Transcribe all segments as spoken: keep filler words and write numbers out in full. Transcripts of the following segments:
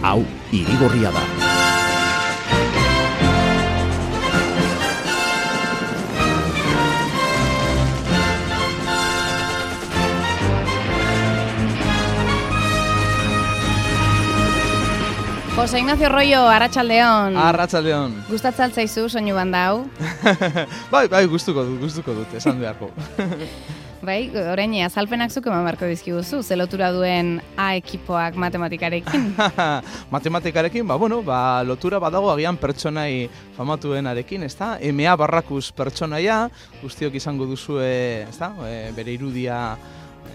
Hau, Irigorria da. Jose Ignacio Royo, arratsaldeon. Arratsaldeon. Gustatzen zaizu soinu banda hau? bai, bai, gustuko dut, gustuko dut, esan beharko. Bai, orain azalpenak zuk eman beharko dizkiguzu, ze lotura duen A ekipoak matematikarekin. Matematikarekin, ba, bueno, ba, lotura badago agian pertsonai famatuenarekin, ezta? M A Barrakus pertsonaia, guztiok izango duzue, ezta? E, bere irudia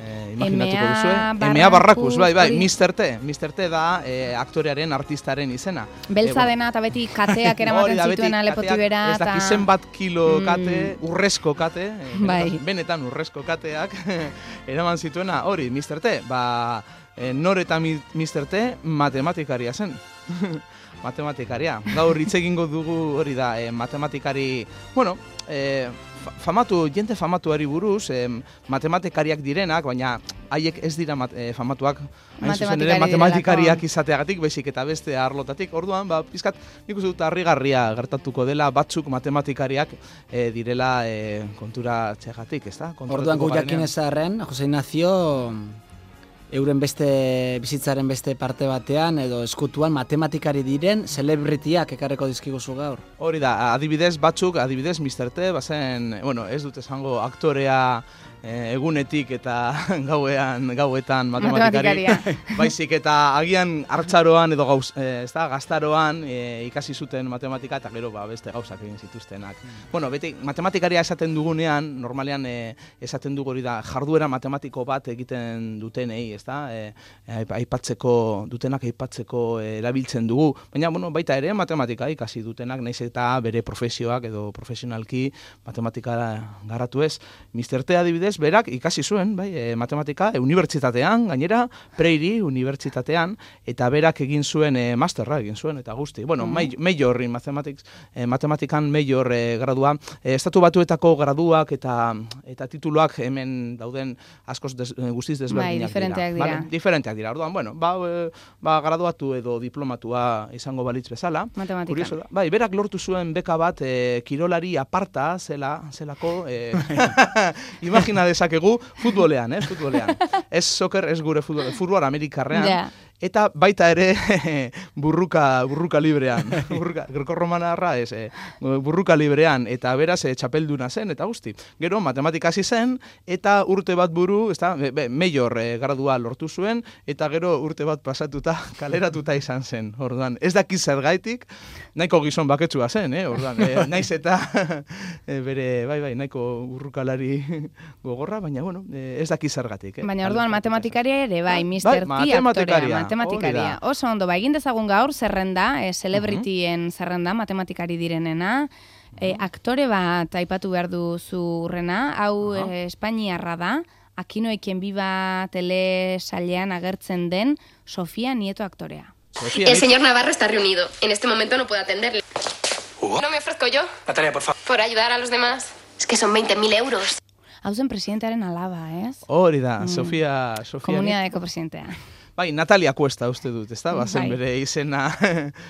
Eh, imaginatuko duzue. M A Barrakus, bai, bai, mister T. mister T da eh, aktorearen, artistaren izena. Beltza dena eta beti kateak eramaten zituen alepotibera. Ez dakit zenbat kilo kate, mm. urrezko kate, eh, bai. benetan urrezko kateak eraman zituena, hori, mister T. Ba, eh, nor eta mister T matematikaria zen. Matematikaria. Gaur hitz egingo dugu hori da, eh, matematikari, bueno, eh, famatu, jente famatuari buruz, eh, matematikariak direnak, baina haiek ez dira mat, eh, famatuak, hain zuzen ere matematikariak izateagatik, baizik eta beste arlotatik. Orduan, ba, pizkat, nik uste dut harrigarria gertatuko dela, batzuk matematikariak eh, direla eh, kontura txegatik, ez da? Orduan gu jakin ezarren, Jose Ignacio, euren beste bizitzaren beste parte batean edo eskutuan matematikari diren celebrityak ekarreko dizkiguzu gaur. Hori da, adibidez batzuk, adibidez mister T, bazen, bueno, ez dut esango aktorea eh, egunetik eta gauean, gauetan matematikari. Baizik eta agian hartzaroan edo gauz, eh, ez da, gaztaroan eh, ikasi zuten matematika eta gero ba, beste gauzak egin zituztenak. Mm. Bueno, beti matematikaria esaten dugunean, normalean eh, esaten dugu hori da, jarduera matematiko bat egiten dutenei, ez da, eh, aipatzeko, dutenak aipatzeko eh, erabiltzen dugu. Baina, bueno, baita ere matematika ikasi dutenak, naiz eta bere profesioak edo profesionalki matematikara garatu ez. mister T adibidez, berak ikasi zuen, bai, e, matematika, e, unibertsitatean, gainera, Preiri unibertsitatean, eta berak egin zuen e, masterra egin zuen, eta guzti. Bueno, mm. major in mathematics, e, matematikan major e, gradua, e, estatu batuetako graduak eta eta tituluak hemen dauden askoz des, guztiz desberdinak bai, diferenteak dira. dira. Vale? Diferenteak dira. Orduan, bueno, ba, e, ba, graduatu edo diplomatua izango balitz bezala. Matematika. Da. Bai, berak lortu zuen beka bat e, kirolari aparta zela, zelako, e, imagina dezakegu futbolean, eh, futbolean. Ez soccer, ez gure futbol, futbol amerikarrean. Yeah. Eta baita ere burruka, burruka librean, burruka, greko-romanarra ez, eh, burruka librean, eta beraz eh, txapelduna zen, eta guzti. Gero matematika hasi zen, eta urte bat buru, ez da, be, be, major eh, gradua lortu zuen, eta gero urte bat pasatuta, kaleratuta izan zen, orduan. Ez daki zergaitik, nahiko gizon baketsua zen, eh, orduan. Eh, naiz eta eh, bere, bai, bai, nahiko burrukalari gogorra, baina, bueno, eh, ez daki zergatik. Eh. Baina orduan matematikaria ere, bai, mister T aktorea. Matematikaria. Oso ondo, ba, egin dezagun gaur zerrenda, e, celebrityen zerrenda, matematikari direnena, e, aktore bat aipatu behar duzu Urrena, hau uh-huh. e, Espainiarra da, Akinoekien biba telesailean agertzen den Sofía Nieto aktorea. Sofía, el señor Navarro está reunido. En este momento no puedo atenderle. Uh. ¿No me ofrezco yo? Natalia, por favor. Por ayudar a los demás. Es que son veinte mil euros. Hau zen presidentearen alaba, ez? Hori da, mm. Sofía... Sofía Komunidadeko presidentea. Bai, Natalia Cuesta uste dut, ez da? Bazen bere izena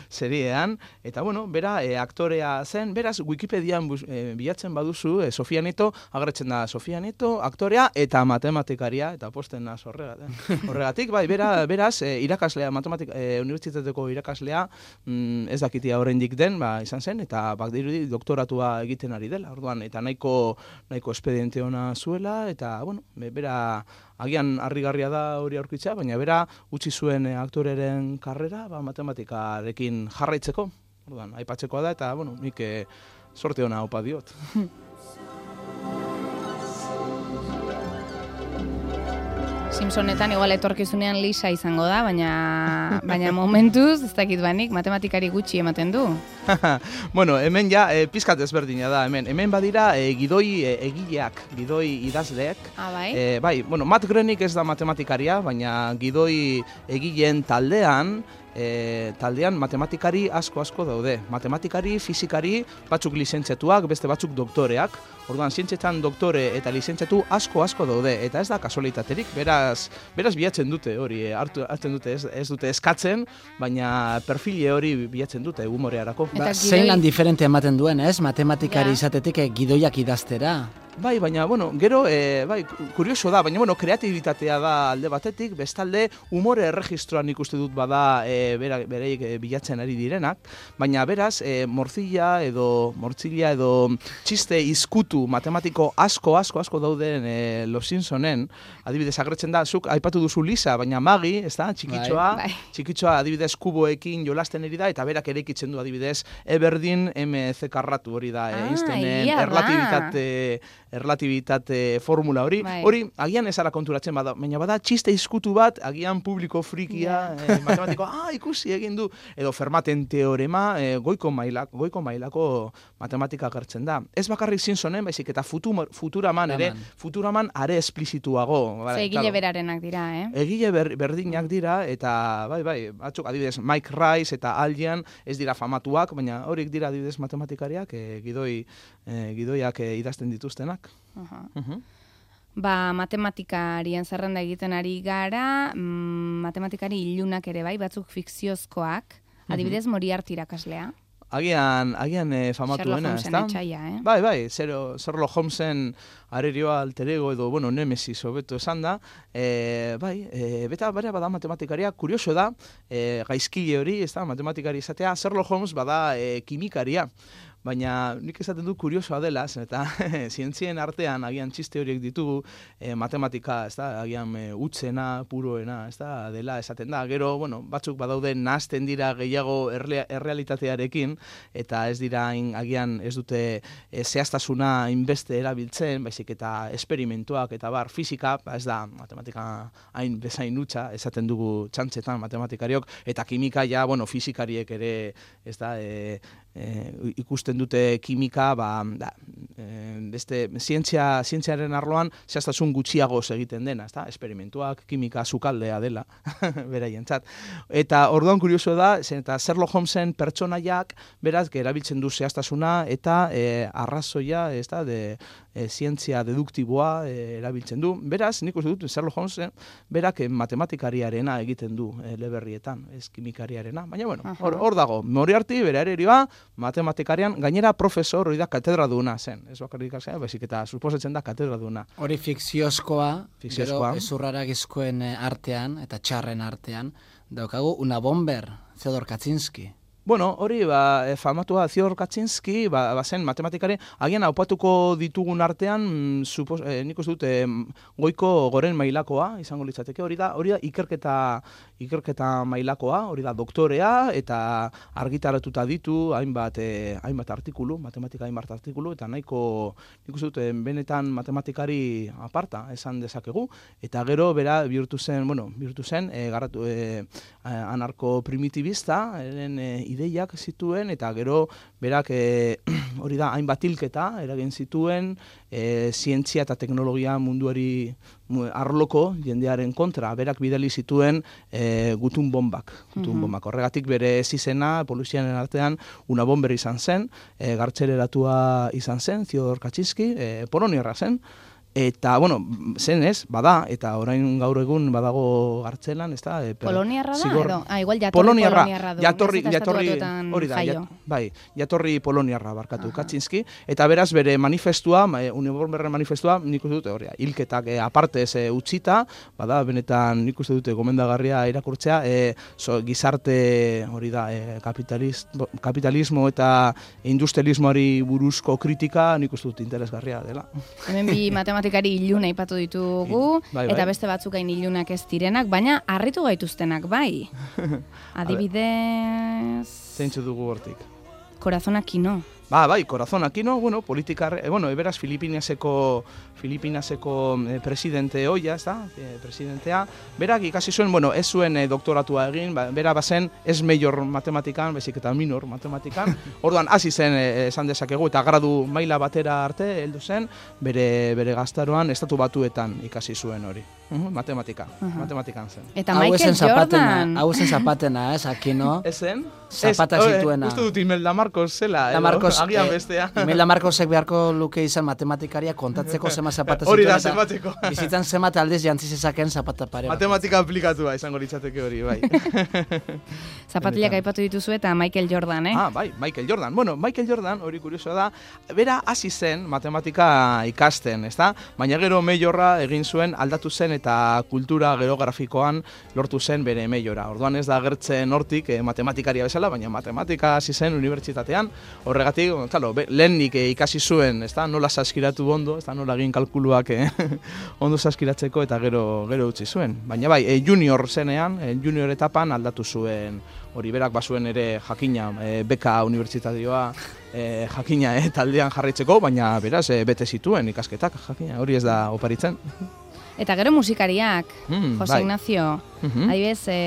seriean. Eta, bueno, bera e, aktorea zen. Beraz, Wikipedian bus, e, bilatzen baduzu, e, Sofía Nieto, agertzen da Sofía Nieto, aktorea eta matematikaria, eta posten naz horregatik. Horregatik, bai, bera, beraz, e, irakaslea, matematik, e, unibertsitateko irakaslea, mm, ez dakitia oraindik den, ba, izan zen, eta bak dirudi doktoratua egiten ari dela. Orduan, eta nahiko, nahiko espediente ona zuela, eta, bueno, bera... Agian harrigarria da hori aurkitzea, baina bera utzi zuen aktoreren karrera ba, matematikarekin jarraitzeko. Orduan, aipatzekoa da eta bueno, nik e, sorte ona opa diot. Simpsonetan igual etorkizunean Lisa izango da, baina baina momentuz, ez dakit banik, matematikari gutxi ematen du. Bueno, hemen ja, e, pizkat ezberdina da, hemen. Hemen badira e, gidoi e, egileak, gidoi idazleek. Ah, bai? E, bai, bueno, Matt Groening ez da matematikaria, baina gidoi egileen taldean, e, taldean matematikari asko-asko daude. Matematikari, fizikari, batzuk lizentziatuak, beste batzuk doktoreak. Orduan, zientzietan doktore eta lizentziatu asko-asko daude, eta ez da kasualitaterik, beraz, beraz bilatzen dute hori, hartu, hartzen dute, ez, ez dute eskatzen, baina perfile hori bilatzen dute humorearako. Ba, zein lan diferente ematen duen, ez? Matematikari ja. izatetik eh, gidoiak idaztera. Bai, baina, bueno, gero, e, bai, kurioso da, baina, bueno, kreatibitatea da alde batetik, bestalde, humore erregistroan ikuste dut bada e, bera, bereik e, bilatzen ari direnak, baina beraz, e, morzilla edo, mortzilla edo txiste izkutu matematiko asko, asko, asko dauden e, Los Simpsonen, adibidez, agretzen da, zuk aipatu duzu Lisa, baina Magi, ez da, txikitxoa, bai, bai. txikitxoa adibidez kuboekin jolasten eri da, eta berak eraikitzen du adibidez, Eberdin M C karratu hori da, ah, Einsteinen erlatibitate... erlatibitate formula hori, bai. Hori agian ezara konturatzen bada, baina bada txiste izkutu bat, agian publiko frikia, yeah. eh, matematiko, ah, ikusi egin du, edo Fermaten teorema, eh, goiko, mailak, goiko mailako matematika agertzen da. Ez bakarrik Simpsonen, baizik eta futur, Futuraman ere, Futuraman are esplizituago. Ze egile claro. berarenak dira, eh? Egile ber, berdinak dira, eta bai, bai, batzuk adibidez Mike Rice eta Allian ez dira famatuak, baina horiek dira adibidez matematikariak, eh, gidoi, eh, gidoiak eh, idazten dituztenak. Uh-huh. Uh-huh. Ba, matematikarien zerrenda egiten ari gara, mm, matematikari ilunak ere bai, batzuk fikziozkoak, adibidez uh-huh. Moriarty irakaslea. Agian, agian eh, famatuena, ez da? Eh? Bai, bai, Sherlock Holmesen arerioa alter ego edo, bueno, Nemesis hobeto esan da, e, bai, e, beta bera bada matematikaria, kurioso da, e, gaizkile hori, ez da, matematikari izatea, Sherlock Holmes bada e, kimikaria. Baina nik esaten du kuriosoa dela, eta zientzien artean agian txiste horiek ditugu, e, matematika, ez da, agian e, utzena, puroena, ez da, dela esaten da. Gero, bueno, batzuk badaude nahazten dira gehiago erre, errealitatearekin, eta ez dira in, agian ez dute e, zehaztasuna inbeste erabiltzen, baizik eta esperimentuak eta bar fizika, ba, ez da matematika hain bezain utza, esaten dugu txantzetan matematikariok, eta kimika ja, bueno, fizikariek ere, ez da, e, e, ikusten dute kimika, ba, da, e, beste zientzia, zientziaren arloan zehaztasun gutxiagoz egiten dena, ezta? Esperimentuak, kimika sukaldea dela, beraientzat. Eta orduan kurioso da, eta Sherlock Holmesen pertsonaiak beraz erabiltzen du zehaztasuna eta e, arrazoia, ezta, de e, zientzia deduktiboa e, erabiltzen du. Beraz, nik uste dut Sherlock Holmesen berak e, matematikariarena egiten du e, eleberrietan, ez kimikariarena. Baina bueno, hor, hor dago, Moriarty bere ererioa matematikarian, gainera profesor hori da katedraduna zen. Ez bakarrik zen, baizik eta suposatzen da katedraduna. Hori fikziozkoa, gero ezurraragizkoen artean eta txarren artean, daukagu Una Bomber, Theodor Kaczynski. Bueno, hori, ba, famatua Theodor Kaczynski, ba, ba zen matematikari, agian aupatuko ditugun artean, supos, eh, nik uste dut, eh, goiko goren mailakoa, izango litzateke, hori da, hori da ikerketa, ikerketa mailakoa, hori da doktorea, eta argitaratuta ditu, hainbat, eh, hainbat artikulu, matematika hainbat artikulu, eta nahiko, nik uste dut, eh, benetan matematikari aparta, esan dezakegu, eta gero, bera, bihurtu zen, bueno, bihurtu zen, eh, garatu, eh, anarko-primitibista, eren, eh, ideiak zituen, eta gero berak e, hori da hainbat hilketa eragin zituen e, zientzia eta teknologia munduari arloko jendearen kontra. Berak bidali zituen e, gutun bombak. Gutun bombak. Horregatik bere zizena polizianen artean Una Bomber izan zen, e, gartxereratua izan zen, Theodor Kaczynski, e, poloniarra zen. Eta, bueno, zen ez, bada, eta orain gaur egun badago gartzelan, ez da? E, poloniarra da, edo? Ah, igual jatorri poloniarra, poloniarra du. Jatorri, jatorri, hori da, jat, bai, jatorri poloniarra barkatu Kaczynski, eta beraz bere manifestua, Una Bomberren manifestua, nik uste dute, hori, hilketak e, apartez e, utzita, bada, benetan nik uste dute gomendagarria irakurtzea, e, so, gizarte, hori da, e, kapitalismo eta industrialismoari buruzko kritika, nik uste dute interesgarria dela. Hemen bi matematikari iluna ipatu ditugu, bai, bai. Eta beste batzuk hain ilunak ez direnak, baina harritu gaituztenak, bai. Adibidez... Zeintzu dugu hortik? Corazon Aquino. Ba, bai, Corazon Aquino, bueno, politikar, eh, bueno, eberaz Filipinaseko, Filipinaseko eh, presidente hoia, ez da, eh, presidentea, berak ikasi zuen, bueno, ez zuen eh, doktoratua egin, ba, bera bazen ez major matematikan, bezik eta minor matematikan, orduan hasi zen eh, esan dezakegu, eta gradu maila batera arte heldu zen, bere, bere gaztaroan estatu batuetan ikasi zuen hori. matematika, matematikan zen. Eta Michael Jordan. Hau zen zapatena, ez, Aquino. Ez zen? Zapata zituena. Uste dut Imelda Marcos zela, agian bestea. Imelda Marcosek beharko luke izan matematikaria kontatzeko zema zapata zituen. Hori da, zemateko. Bizitzan zemat aldiz jantzi zezaken zapata pare. Matematika aplikatua izango litzateke hori, bai. Zapatilak aipatu dituzu eta Michael Jordan, eh? Ah, bai, Michael Jordan. Bueno, Michael Jordan, hori kurioso da, bera hasi zen matematika ikasten, ezta? Baina gero meiorra egin zuen aldatu zen eta kultura gero grafikoan lortu zen bere meiora. Orduan ez da agertzen hortik eh, matematikaria bezala, baina matematika hasi zen unibertsitatean. Horregatik, claro, lehenik eh, ikasi zuen, ezta? Nola saskiratu ondo, ezta? Nola egin kalkuluak eh, ondo saskiratzeko eta gero gero utzi zuen. Baina bai, eh, junior zenean, eh, junior etapan aldatu zuen. Hori berak bazuen ere jakina, e, beka unibertsitateoa e, jakina e, taldean jarraitzeko, baina beraz e, bete zituen ikasketak jakina, hori ez da oparitzen. Eta gero musikariak, mm, Jose bai. Ignacio, mm-hmm. adibidez e,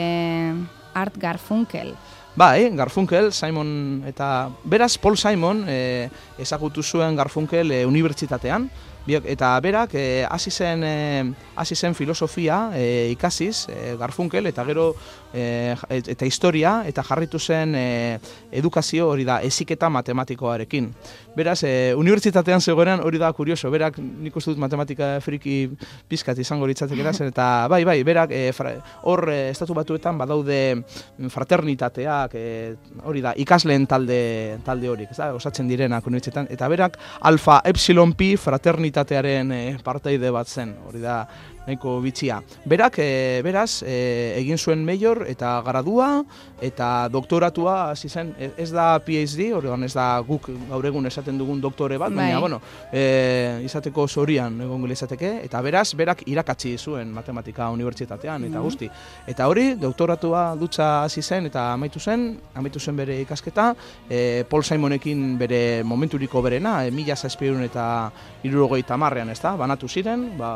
Art Garfunkel. Bai, Garfunkel, Simon eta beraz Paul Simon e, ezagutu zuen Garfunkel e, unibertsitatean, eta berak hasi e, zen e, hasi zen filosofia e, ikasiz e, Garfunkel eta gero e, eta historia eta jarritu zen e, edukazio hori da heziketa matematikoarekin. Beraz, e, unibertsitatean zegoenean hori da kurioso, berak nik uste dut matematika friki pizkat izango litzatekeela zen eta bai, bai, berak e, fra, hor e, estatu batuetan badaude fraternitateak e, hori da ikasleen talde talde horik, ez da, osatzen direnak unibertsitatean eta berak alfa epsilon pi fraternitatearen e, parteide bat zen, hori da nahiko bitxia. Berak, e, beraz, e, egin zuen meior eta gradua eta doktoratua hasi zen, ez da P H D, horregan ez da guk gaur egun esaten dugun doktore bat, baina, bueno, e, izateko zorian egongo izateke, eta beraz, berak irakatsi zuen matematika unibertsitatean, eta guzti. Eta hori, doktoratua dutza hasi zen, eta amaitu zen, amaitu zen bere ikasketa, e, Paul Simonekin bere momenturiko berena, e, mila zazpiehun eta hirurogeita hamarrean, ez da, banatu ziren, ba,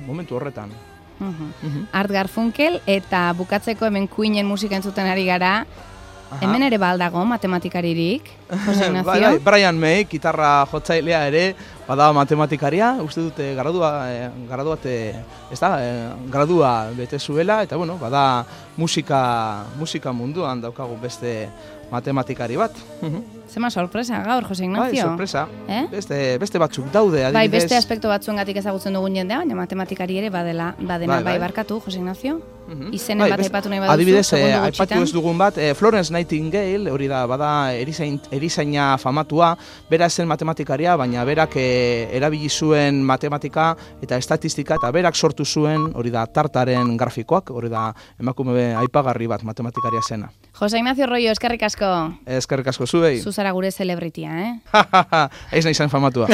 momentu horretan. Uh-huh. Uh-huh. Art Garfunkel, eta bukatzeko hemen Queenen musika entzuten ari gara. Aha. Hemen ere baldago matematikaririk, Jose Ignacio? Bai, bai, Brian May, gitarra jotzailea ere, bada matematikaria, uste dute gradua, eh, gradua, te, ez da, eh, gradua bete zuela, eta bueno, bada musika, musika munduan daukagu beste matematikari bat. Zema sorpresa gaur, Jose Ignacio? Bai, sorpresa. Eh? Beste, beste batzuk daude, adibidez. Bai, beste aspektu batzuengatik ezagutzen dugun jendea, baina matematikari ere badela, badena, bai, bai. bai barkatu, Jose Ignacio? Uh-huh. Izenen bai, bat aipatu nahi baduzu, adibidez, eh, aipatu ez dugun bat, eh, Florence Nightingale, hori da, bada erizain, erizaina famatua, bera zen matematikaria, baina berak eh, erabili zuen matematika eta estatistika, eta berak sortu zuen, hori da, tartaren grafikoak, hori da, emakume aipagarri bat matematikaria zena. Jose Ignacio Royo, eskerrik asko. Eskerrik asko zuei. Zuzara gure celebritia, eh? Ez nahi zen famatua.